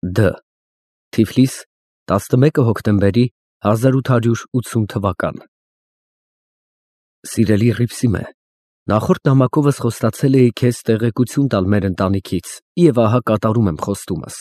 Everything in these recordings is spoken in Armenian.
Դ. Թիֆլիս 11 հոկտեմբերի 1880 թվական։ Սիրելի Հռիփսիմե, նախորդ նամակովս խոստացել էի քեզ տեղեկություն տալ մեր ընտանիքից և ահա կատարում եմ խոստումս։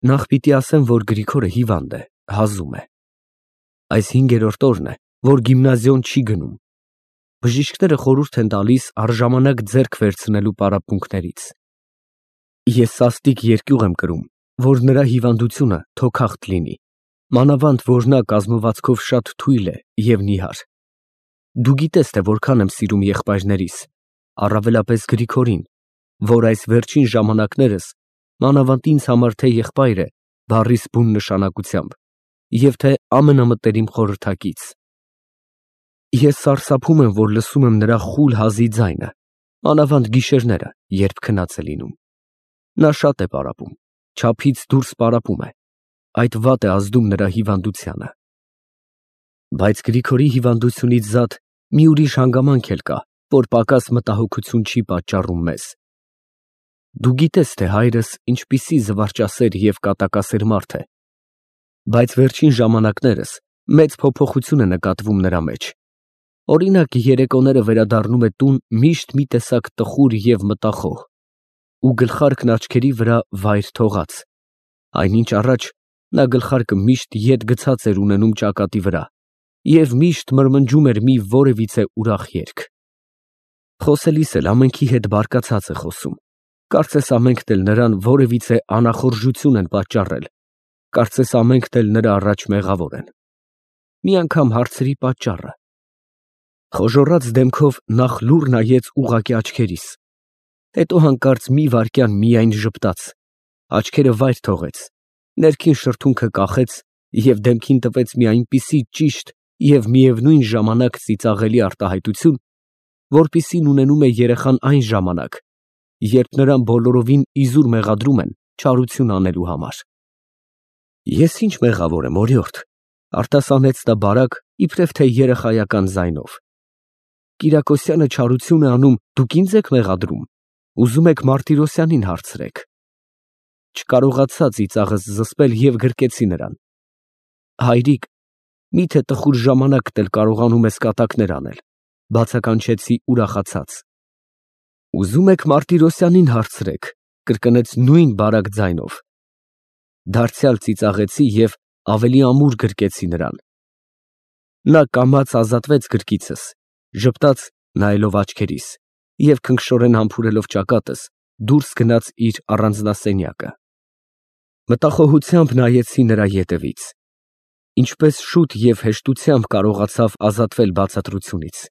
Նախ պիտի ասեմ, որ Գրիգորը հիվանդ է, հազում է։ Այս 5-րդ օրն է, որ գիմնազիոն չի գնում։ Բժիշկները խորհուրդ են տալիս առժամանակ ձեռք վերցնելու պարապմունքներից։ Ես սաստիկ երկյուղ եմ կրում, որ նրա հիվանդությունը թոքախտ լինի, մանավանդ որ նա կազմվածքով շատ թույլ է և նիհար։ Դու գիտես, թե որքան եմ սիրում եղբայրներիս, առավելապես Գրիգորին, որ այս վերջին ժամանակներս մանավանդ ինձ համար թե եղբայր է բառիս բուն նշանակությամբ և թե ամենամտերիմ խորհրդակից։ Ես սարսափում եմ, որ լսում եմ նրա խուլ հազի ձայնը, մանավանդ գիշերները, երբ քնած է լինում։ Նա շատ է պարապում, չափից դուրս պարապում է, այդ վատ է ազդում նրա հիվանդությանը։ Բայց Գրիգորի հիվանդությունից զատ մի ուրիշ հանգամանք էլ կա, որ պակաս մտահոգություն չի պատճառում մեզ։ Դու գիտես, թե հայրս ինչպիսի զվարճասեր և կատակասեր մարդ է, բայց վերջին ժամանակներս մեծ փոփոխություն է նկատվում նրա մեջ։ Օրինակ, երեկոները վերադառնում է տուն միշտ մի տեսակ տխուր և մտախոհ ու գլխարկն աչքերի վրա վայր թողած, այնինչ առաջ նա գլխարկը միշտ ետ գցած էր ունենում ճակատի վրա և միշտ մրմնջում էր մի որևիցե ուրախ երգ։ Խոսելիս էլ ամենքի հետ բարկացած է խոսում, կարծես ամենքն էլ նրան որևիցե անախորժություն են պատճառել, կարծես ամենքն էլ նրա առաջ մեղավոր են։ Մի անգամ հարցրի պատճառը։ Խոժոռած դեմքով նախ լուռ նայեց ուղղակի աչքերիս, հետո հանկարծ մի վայրկյան միայն ժպտաց, աչքերը վայր թողեց, ներքին շրթունքը կախեց և դեմքին տվեց մի այնպիսի ճիշտ և միևնույն ժամանակ ծիծաղելի արտահայտություն, որպիսին ունենում է երեխան այն ժամանակ, երբ նրան բոլորովին իզուր մեղադրում են չարություն անելու համար։ Ես ինչ մեղավոր եմ, օրիորդ, արտասանեց նա բարակ, իբրև թե երեխայական ձայնով։ Կիրակոսյանը չարություն է անում, դուք ինձ եք մեղադրում, ուզում եք Մարտիրոսյանին հարցրեք։ Չկարողացա ծիծաղս զսպել և գրկեցի նրան։ Հայրիկ, միթե տխուր ժամանակդ էլ կարողանում ես կատակներ անել, բացականչեցի ուրախացած։ Ուզում եք Մարտիրոսյանին հարցրեք, կրկնեց նույն բարակ ձայնով։ Դարձյալ ծիծաղեցի և ավելի ամուր գրկեցի նրան։ Նա կամաց ազատվեց գրկիցս, ժպտաց, նայելով աչքերիս, և քնքշորեն համբուրելով ճակատս, դուրս գնաց իր առանձնասենյակը։ Մտախոհությամբ նայեցի նրա ետևից։ Ինչպես շուտ և հեշտությամբ կարողացավ ազատվել բացատրությունից։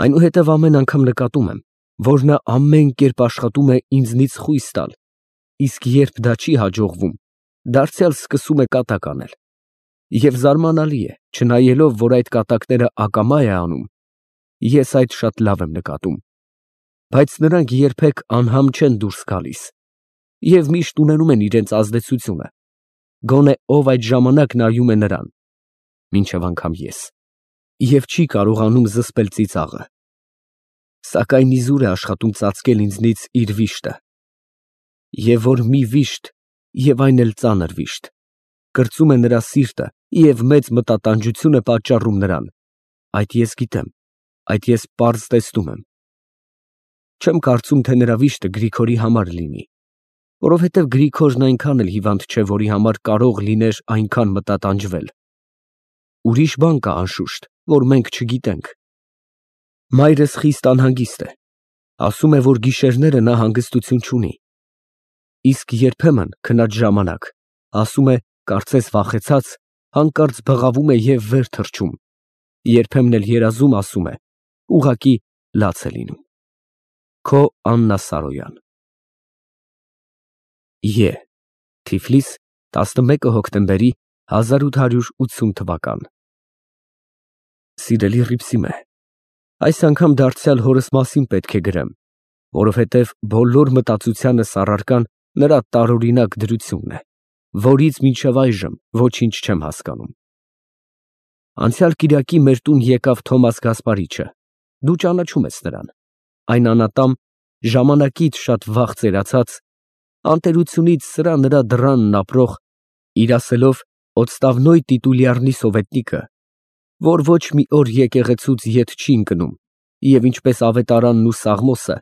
Այնուհետև ամեն անգամ նկատում եմ, որ նա ամեն կերպ աշխատում է ինձնից խույս տալ, իսկ երբ դա չի հաջողվում, դարձյալ սկսում է կատակ անել։ Եվ զարմանալի է, չնայելով, որ այդ կատակները ակամա է անում, ես այդ շատ լավ եմ նկատում, բայց նրանք երբեք անհամ չեն դուրս գալիս և միշտ ունենում են իրենց ազդեցությունը, գոնե ով այդ ժամանակ նայում է նրան, մինչև անգամ ես, և չի կարողանում զսպել ծիծաղը։ Սակայն իզուր է աշխատում ծածկել ինձնից իր վիշտը։ Եվ որ մի վիշտ, և այն էլ ծանր վիշտ, կրծում է նրա սիրտը և մեծ մտատանջություն է պատճառում նրան, այդ ես գիտեմ, այդ ես պարզ տեսնում եմ։ Չեմ կարծում, թե նրա վիշտը Գրիգորի համար լինի, որովհետև Գրիգորն այնքան էլ հիվանդ չէ, որի համար կարող լիներ այնքան մտատանջվել։ Ուրիշ բան կա, անշուշտ, որ մենք չգիտենք։ Մայրս խիստ անհանգիստ է, ասում է, որ գիշերները նա հանգստություն չունի, իսկ երբեմն քնած ժամանակ, ասում է, կարծես վախեցած, հանկարծ բղավում է և վեր թռչում, երբեմն էլ երազում, ասում է, ուղղակի լաց է լինում։ Քո Աննա Սարոյան։ Ե. Թիֆլիս 11 հոկտեմբերի 1880 թվական։ Սիրելի Հռիփսիմե, այս անգամ դարձյալ հորս մասին պետք է գրեմ, որովհետև բոլոր մտածությանս առարկան նրա տարօրինակ դրությունն է, որից մինչև այժմ ոչինչ չեմ հասկանում։ Անցյալ կիրակի մեր տուն եկավ Թոմաս Գասպարիչը, դու ճանաչում ես նրան, այն անատամ, ժամանակից շատ վաղ ծերացած, անտերությունից սրա նրա դռանն ապրող, իր ասելով «Օձտավնոյ տիտուլյարնի սովետնիկը», որ ոչ մի օր եկեղեցուց ետ չի ընկնում, և ինչպես ավետարանն ու Սաղմոսը,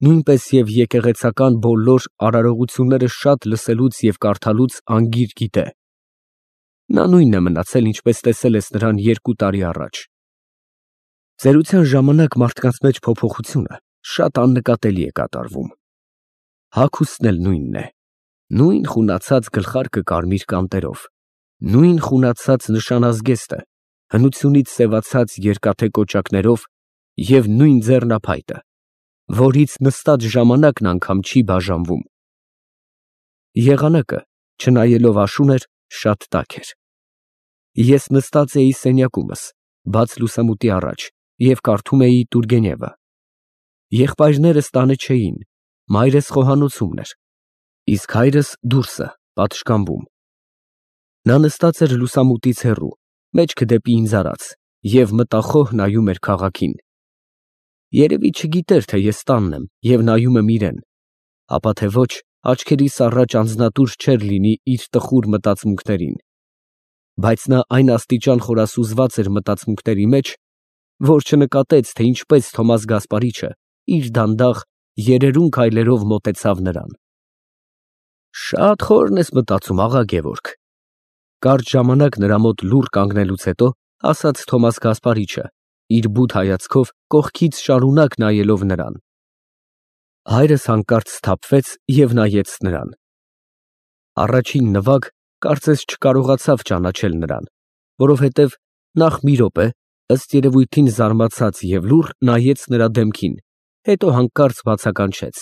նույնպես և եկեղեցական բոլոր արարողությունները շատ լսելուց և կարդալուց անգիր գիտե։ Նա նույնն է մնացել, ինչպես տեսել ես նրան 2 տարի առաջ։ Ծերության ժամանակ մարդկանց մեջ փոփոխությունը շատ աննկատելի է կատարվում։ Հագուստն էլ նույնն է, նույն խունացած գլխարկը կարմիր կանտերով, նույն խունացած նշանազգեստը, հնությունից սևացած երկաթե կոճակներով և նույն ձեռնափայտը, որից նստած ժամանակն անգամ չի բաժանվում։ Եղանակը, չնայելով աշուն էր, շատ տաք էր։ Ես նստած էի սենյակումս, բաց լուսամուտի առաջ, և կարդում էի Տուրգենևը։ Եղբայրներս տանը չէին, մայրս խոհանոցումն էր, իսկ հայրս դուրսը, պատշգամբում։ Նա նստած էր լուսամուտից հեռու, մեջքը դեպի ինձ արած, և մտախոհ նայում էր քաղաքին։ Երևի չգիտեր, թե ես տանն եմ և նայում եմ իրան, ապա թե ոչ, աչքերիս առաջ անձնատուր չէր լինի իր տխուր մտածմունքներին, բայց նա այն աստիճան խորասուզված էր մտածմունքների մեջ, որ չնկատեց, թե ինչպես Թոմաս Գասպարիչը իր դանդաղ, երերուն քայլերով մոտեցավ նրան։ «Շատ խորն ես մտածում, աղա Գևորգ», կարճ ժամանակ նրա մոտ լուռ կանգնելուց հետո ասաց Թոմաս Գասպարիչը, իր բութ հայացքով կողքից շարունակ նայելով նրան։ Հայրս հանկարծ սթափվեց և նայեց նրան։ Առաջին նվագ կարծես չկարողացավ ճանաչել նրան, որովհետև նախ մի րոպե, ըստ երևույթին զարմացած և լուռ, նայեց նրա դեմքին, հետո հանկարծ բացականչեց.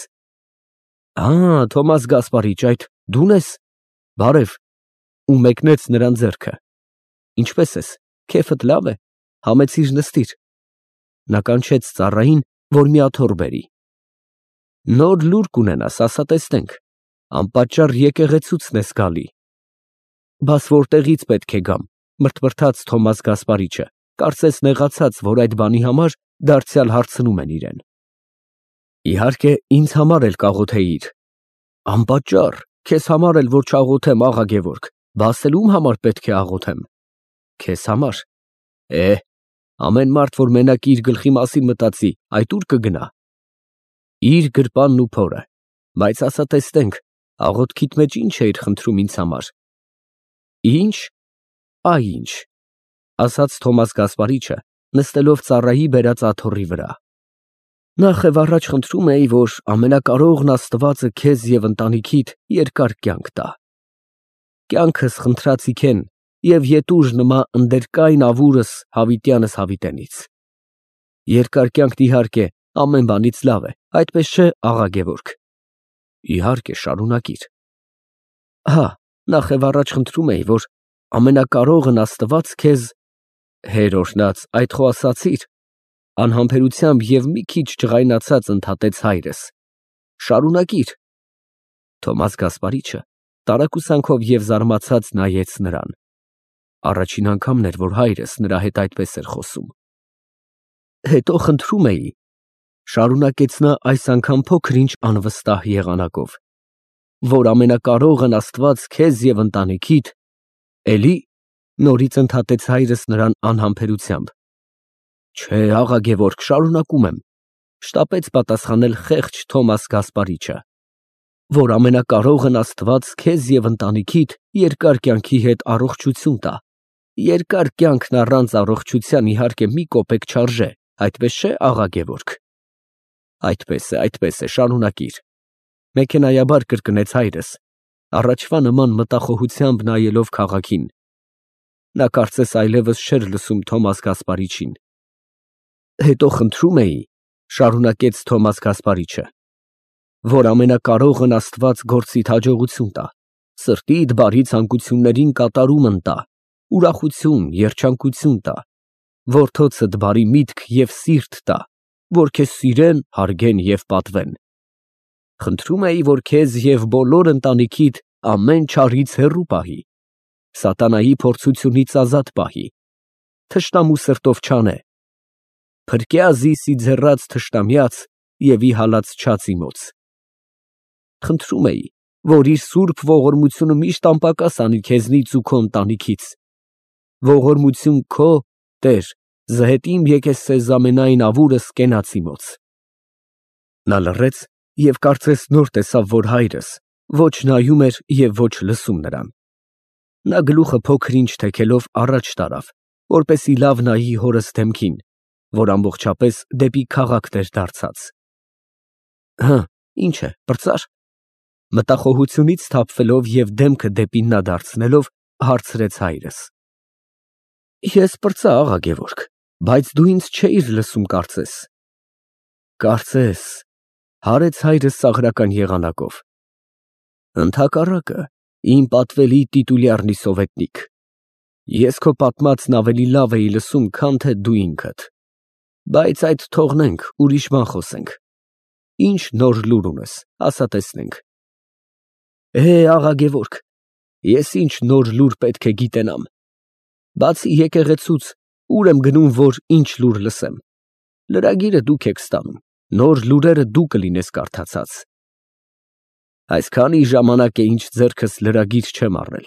Թոմաս Գասպարիչ, այդ դու՞ն ես, բարև, ու մեկնեց նրան ձեռքը։ Ինչպե՞ս ես, քեֆդ լավ է, համեցիր նստիր։ Նա կանչեց ծառային, որ մի աթոռ բերի։ Նոր լուր կունենաս, ասա տեսնենք, անպատճառ եկեղեցուցն ես գալի։ Բաս որտեղից պետք է գամ, մրթմրթաց Թոմաս Գասպարիչը, կարծես նեղացած, որ այդ բանի համար դարձյալ հարցնում են իրեն։ Իհարկե, ինձ համար էլ կաղոթեիր։ Անպատճառ, քեզ համար էլ որ չաղոթեմ, աղա Գևորգ, բաս էլ ում համար պետք է աղոթեմ։ Քեզ համար։ Ամեն մարդ, որ մենակ իր գլխի մասին մտածի, այդ ուր կգնա։ Իր գրպանն ու փորը, բայց ասա տեսնենք, աղոթքիդ մեջ ինչ էիր խնդրում ինձ համար։ Ինչ, ինչ, ասաց Թոմաս Գասպարիչը, նստելով ծառայի բերած աթոռի վրա։ Նախ և առաջ խնդրում էի, որ ամենակարողն Աստվածը քեզ և ընտանիքիդ երկար կյանք տա։ Կյանքս խնդրածիք են և ետուժ նմա ընդերկայն ավուրս հավիտյանս հավիտենից։ Երկար կյանքն իհարկե ամեն բանից լավ է, այդպես չէ, աղա Գևորգ։ Իհարկե, շարունակիր։ Նախ և առաջ խնդրում էի, որ ամենակարողն Աստված քեզ… Հեր օրհնած, այդ խո ասացիր, անհամբերությամբ և մի քիչ ջղայնացած ընդհատեց հայրս։ Շարունակիր։ Թոմաս Գասպարիչը տարակուսանքով և զարմացած նայեց նրան։ Առաջին անգամն էր, որ հայրս նրա հետ այդպես էր խոսում։ Հետո խնդրում էի, շարունակեց նա այս անգամ փոքր-ինչ անվստահ եղանակով, որ ամենակարողն Աստված քեզ և ընտանիքիդ… Էլի, նորից ընդհատեց հայրս նրան անհամբերությամբ։ Չէ, աղա Գևորգ, շարունակում եմ, շտապեց պատասխանել խեղճ Թոմաս Գասպարիչը, որ ամենակարողն Աստված քեզ և ընտանիքիդ երկար կյանքի հետ առողջություն տա։ Երկար կյանքն առանց առողջության իհարկե մի կոպեկ չարժե, այդպես չէ, աղա Գևորգ։ Այդպես է, շարունակիր, մեքենայաբար կրկնեց հայրս, առաջվա նման մտախոհությամբ նայելով քաղաքին։ Նա կարծես այլևս չէր լսում Թոմաս Գասպարիչին։ Հետո խնդրում էի, շարունակեց Թոմաս Գասպարիչը, որ ամենակարողն Աստված գործիդ հաջողություն տա, սրտիդ բարի ցանկություններին կատարումն տա, ուրախություն, երջանկություն տա, որդոցդ բարի միտք և սիրտ տա, որ քեզ սիրեն, հարգեն և պատվեն։ Խնդրում էի, որ քեզ և բոլոր ընտանիքիդ ամեն չարից հեռու պահի, սատանայի փորձությունից ազատ պահի, թշնամու սրտով չանե, փրկյա զիսի ձեռած թշնամյաց և ի հալած չածի մոց։ Խնդրում էի, որ իր սուրբ ողորմությունը միշտ անպակաս անի քեզնից ու քո ընտանիքից։ Ողորմություն քո, Տեր, զհետիմ եկես սեզ ամենայն ավուրս կենացի մոց։ Նա լռեց և կարծես նոր տեսավ, որ հայրս ոչ նայում էր և ոչ լսում նրան։ Նա գլուխը փոքր-ինչ թեքելով առաջ տարավ, որպեսզի լավ նայի հորս դեմքին, որ ամբողջապես դեպի քաղաքն էր դարձած։ Հը, ի՞նչ է, պրծա՞ր։ Մտախոհությունից սթափվելով և դեմքը դեպի նա դարձնելով, հարցրեց հայրս։ Ես պրծա, աղա Գևորգ, բայց դու ինձ չէիր լսում, կարծես։ Կարծես, հարեց հայրս ծաղրական եղանակով։ Ընդհակառակը, իմ պատվելի տիտուլյարնի սովետնիկ, ես քո պատմածն ավելի լավ էի լսում, քան թե դու ինքդ։ Բայց այդ թողնենք, ուրիշ բան խոսենք։ Ինչ նոր լուր ունես, ասա տեսնենք։ Աղա Գևորգ, ես ինչ նոր լուր պետք է գիտենամ։ Բացի եկեղեցուց, ուր եմ գնում, որ ինչ լուր լսեմ։ Լրագիրը դուք եք ստանում, նոր լուրերը դու կլինես կարդացած։ Այսքանի ժամանակ է ինչ ձեռքս լրագիր չեմ առել։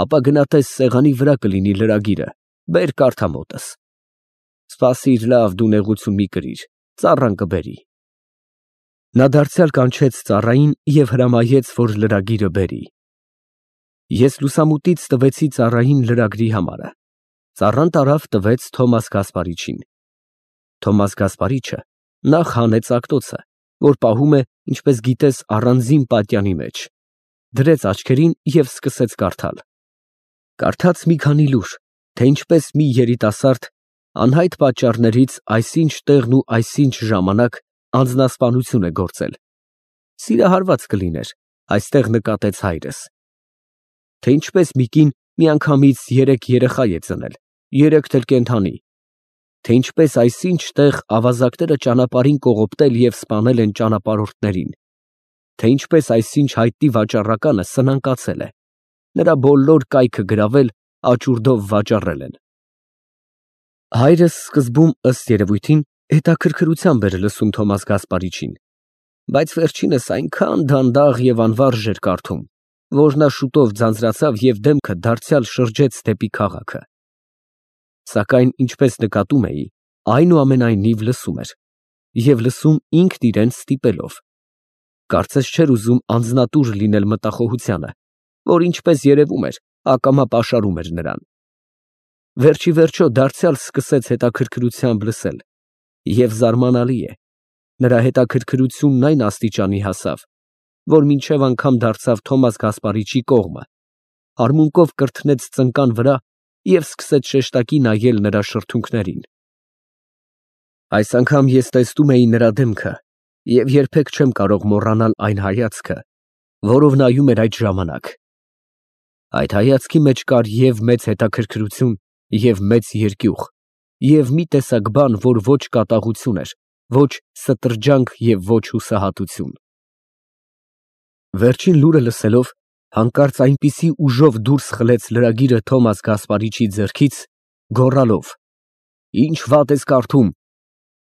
Ապա գնա տես սեղանի վրա կլինի լրագիրը, բեր կարդա մոտս։ Սպասիր լավ, դու նեղություն մի կրիր, ծառան կբերի։ Նա դարձյալ կանչեց ծառային և հրամայեց, որ լրագիրը բերի։ Ես լուսամուտից տվեցի ծառային լրագրի համարը։ Ծառան տարավ տվեց Թոմաս Գասպարիչին։ Թոմաս Գասպարիչը նախ հանեց ակտոցը, որ պահում է, ինչպես գիտես, առանձին պատյանի մեջ, դրեց աչքերին և սկսեց կարդալ։ Կարդաց մի քանի լուր, թե ինչպես մի երիտասարդ անհայտ պատճառներից այսինչ տեղն ու այսինչ ժամանակ անձնասպանություն է գործել։ Սիրահարված կլիներ, այստեղ նկատեց հայրս։ Թե ինչպես մի կին միանգամից 3 երեխա է ծնել, 3 էլ կենդանի, թե ինչպես այսինչ տեղ ավազակները ճանապարհին կողոպտել և սպանել են ճանապարհորդներին, թե ինչպես այսինչ հայտնի վաճառականը սնանկացել է, նրա բոլոր կայքը գրավել, աճուրդով վաճառել են։ Հայրս սկզբում, ըստ երևույթին, հետաքրքրությամբ էր լսում Թոմաս Գասպարիչին, բայց վերջինս այնքան դանդաղ և անվարժ էր կարդում, որ նա շուտով ձանձրացավ և դեմքը դարձյալ շրջեց դեպի քաղաքը։ Սակայն, ինչպես նկատում էի, այնուամենայնիվ լսում էր, և լսում ինքն իրեն ստիպելով։ Կարծես չէր ուզում անձնատուր լինել մտախոհությանը, որ ինչպես երևում էր, ակամա պաշարում էր նրան։ Վերջիվերջո դարձյալ սկսեց հետաքրքրությամբ լսել, և զարմանալի է, նրա հետաքրքրությունն այն աստիճանի հասավ, որ մինչև անգամ դարձավ Թոմաս Գասպարիչի կողմը, արմունկով կրթնեց ծնկան վրա և սկսեց շեշտակի նայել նրա շրթունքներին։ Այս անգամ ես տեսնում էի նրա դեմքը և երբեք չեմ կարող մոռանալ այն հայացքը, որով նայում էր այդ ժամանակ։ Այդ հայացքի մեջ կար և մեծ հետաքրքրություն, և մեծ երկյուղ, և մի տեսակ բան, որ ոչ կատաղություն էր, ոչ ստրջանք և ոչ հուսահատություն։ Վերջին լուրը լսելով, հանկարծ այնպիսի ուժով դուրս խլեց լրագիրը Թոմաս Գասպարիչի ձեռքից, գոռալով. «Ինչ վատ ես կարդում»,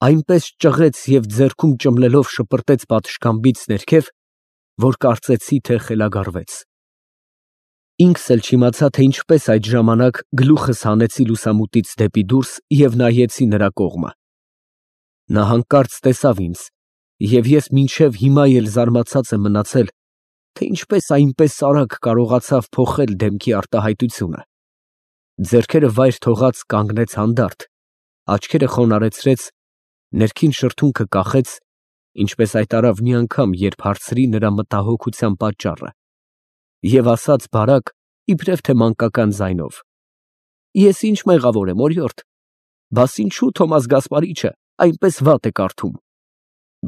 այնպես ճղեց և ձեռքում ճմլելով շպրտեց պատշգամբից ներքև, որ կարծեցի, թե խելագարվեց։ Ինքս էլ չիմացա, թե ինչպես այդ ժամանակ գլուխս հանեցի լուսամուտից դեպի դուրս և նայեցի նրա կողմը։ Նա հանկարծ տեսավ ինձ, և ես մինչև հիմա էլ զարմացած եմ մնացել, թե ինչպես այնպես արագ կարողացավ փոխել դեմքի արտահայտությունը։ Ձեռքերը վայր թողած կանգնեց հանդարտ, աչքերը խոնարհեցրեց, ներքին շրթունքը կախեց, ինչպես այդ արավ մի անգամ, երբ հարցրի նրա մտահոգության պատճառը, և ասաց բարակ, իբրև թե մանկական ձայնով. Ես ինչ մեղավոր եմ, օրիորդ, բաս ինչու Թոմաս Գասպարիչը այնպես վատ է կարդում։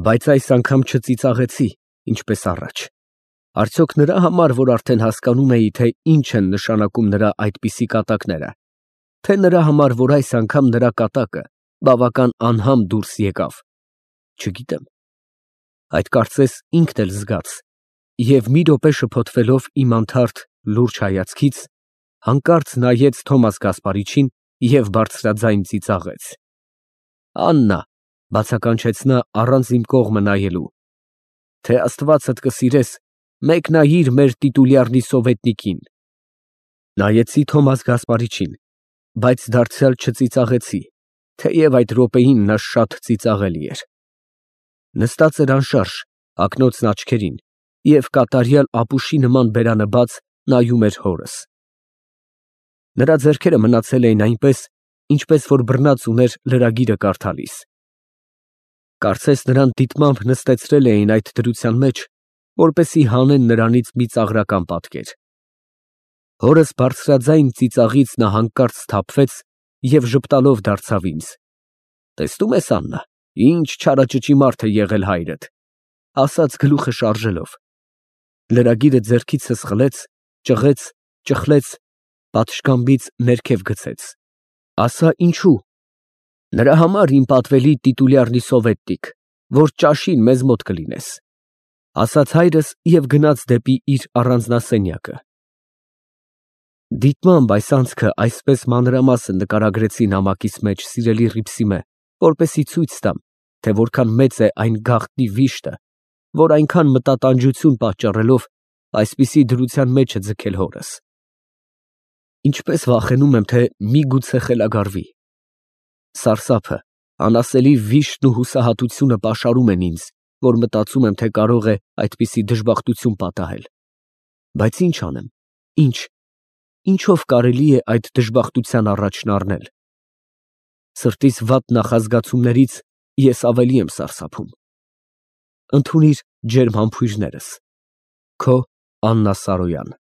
Բայց այս անգամ չծիծաղեցի, ինչպես առաջ։ Արդյոք նրա համար, որ արդեն հասկանում էի, թե ինչ են նշանակում նրա այդպիսի կատակները, թե նրա համար, որ այս անգամ նրա կատակը բավական անհամ դուրս եկավ, չգիտեմ։ Այդ կարծես ինքն էլ զգաց, և մի րոպե շփոթվելով իմ անթարթ լուրջ հայացքից, հանկարծ նայեց Թոմաս Գասպարիչին և բարձրաձայն ծիծաղեց։ «Աննա», բացականչեց նա առանց իմ կողմը նայելու, «թե Աստվածդ կսիրես, մեկնայիր մեր տիտուլյարնի սովետնիկին։ Նայեցի Թոմաս Գասպարիչին, բայց դարձյալ չծիծաղեցի, թեև այդ րոպեին նա շատ ծիծաղելի էր։ Նստած էր անշարժ, հագնոցն աչքերին, և կատարյալ ապուշի նման բերանը բաց նայում էր հորս։ Նրա ձեռքերը մնացել էին այնպես, ինչպես որ բռնած ուներ լրագիրը կարդալիս։ Կարծես նրան դիտմամբ նստեցրել էին այդ դրության մեջ, որպեսզի հանեն նրանից մի ծաղրական պատկեր։ Հորս բարձրաձայն ծիծաղից նա հանկարծ սթափվեց և ժպտալով դարձավ ինձ. «Տեսնում ես, Աննա, ինչ չարաճճի մարդ է եղել հայրդ», ասաց գլուխը շարժելով։ Լրագիրը ձեռքիցս խլեց, ճղեց, ճխլեց, պատշգամբից ներքև գցեց։ Ասա ինչու։ Նրա համար, իմ պատվելի տիտուլյարնի սովետնիկ, որ ճաշին մեզ մոտ կլինես, ասաց հայրս և գնաց դեպի իր առանձնասենյակը։ Դիտմամբ այս անցքը այսպես մանրամասն նկարագրեցի նամակիս մեջ սիրելի Ռիփսիմե, որպեսզի ցույց տամ, թե որքան մեծ է այն գաղտնի վիշտը, որ այնքան մտատանջություն պատճառելով այսպիսի դրության մեջ է ձգել հորս։ Ինչպես վախենում եմ, թե միգուցե խելագարվի։ Սարսափը, անասելի վիշտն ու հուսահատությունը պաշարում են ինձ, որ մտածում եմ, թե կարող է այդպիսի դժբախտություն պատահել։ Բայց ինչ անեմ, ինչով կարելի է այդ դժբախտության առաջն առնել։ Սրտիս վատ նախազգացումներից ես ավելի եմ սարսափում։ Ընդունիր ջերմ համբույրներս։ Քո Աննա Սարոյան։